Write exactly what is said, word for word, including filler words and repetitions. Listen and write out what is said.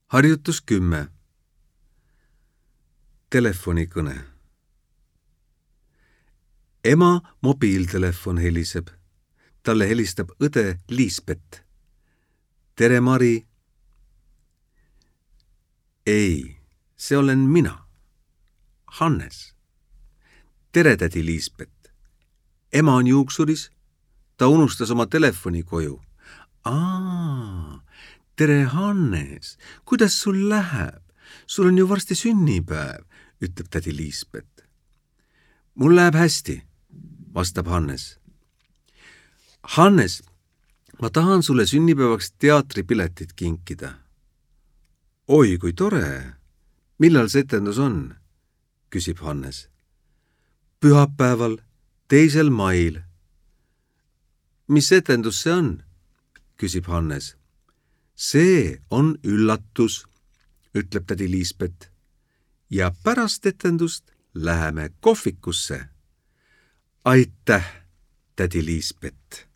Harjutus kümme. Telefonikõne. Ema mobiiltelefon heliseb. Talle helistab õde Liisbet. Tere, Mari. Ei, see olen mina. Hannes. Tere, tädi Liisbet. Ema on juuksuris. Ta unustas oma telefoni koju. Aa, tere, Hannes. Kuidas sul läheb? Sul on ju varsti sünnipäev, ütleb tädi Liisbet. Mul läheb hästi, vastab Hannes. Hannes, ma tahan sulle sünnipäevaks teatripiletit kinkida. Oi, kui tore. Millal see etendus on? Küsib Hannes. Pühapäeval, teisel mail. Mis etendus see on? Küsib Hannes. See on üllatus, ütleb tädi Liisbet. Ja pärast etendust läheme kohvikusse. Aitäh, tädi Liisbet.